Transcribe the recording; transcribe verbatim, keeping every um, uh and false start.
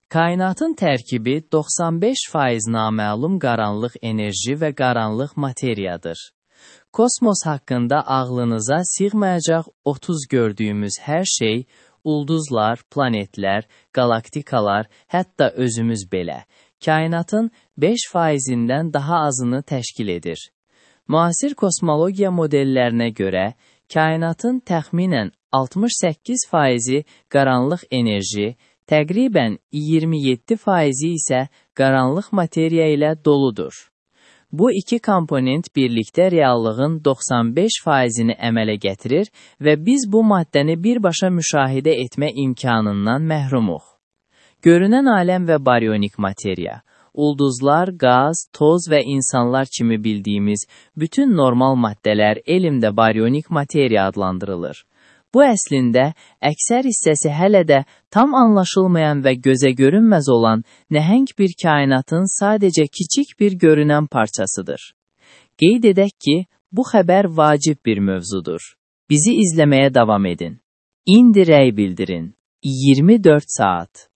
Kainatın tərkibi doxsan beş faiz naməlum qaranlıq enerji və qaranlıq materiyadır. Kosmos haqqında ağlınıza sığmayacaq otuz gördüyümüz hər şey, ulduzlar, planetlər, qalaktikalar, hətta özümüz belə, kainatın beş faizindən daha azını təşkil edir. Müasir kosmologiya modellərinə görə, kainatın təxminən altmış səkkiz faizi qaranlıq enerji, təqribən iyirmi yeddi faizi isə qaranlıq materiya ilə doludur. Bu iki komponent birlikdə reallığın doxsan beş faizini əmələ gətirir və biz bu maddəni birbaşa müşahidə etmə imkanından məhrumuq. Görünən aləm və baryonik materiya, ulduzlar, qaz, toz və insanlar kimi bildiyimiz bütün normal maddələr elmdə baryonik materiya adlandırılır. Bu əslində, əksər hissəsi hələ də tam anlaşılmayan və gözə görünməz olan nəhəng bir kainatın sadəcə kiçik bir görünən parçasıdır. Qeyd edək ki, bu xəbər vacib bir mövzudur. Bizi izləməyə davam edin. İndi rəy bildirin. iyirmi dörd saat.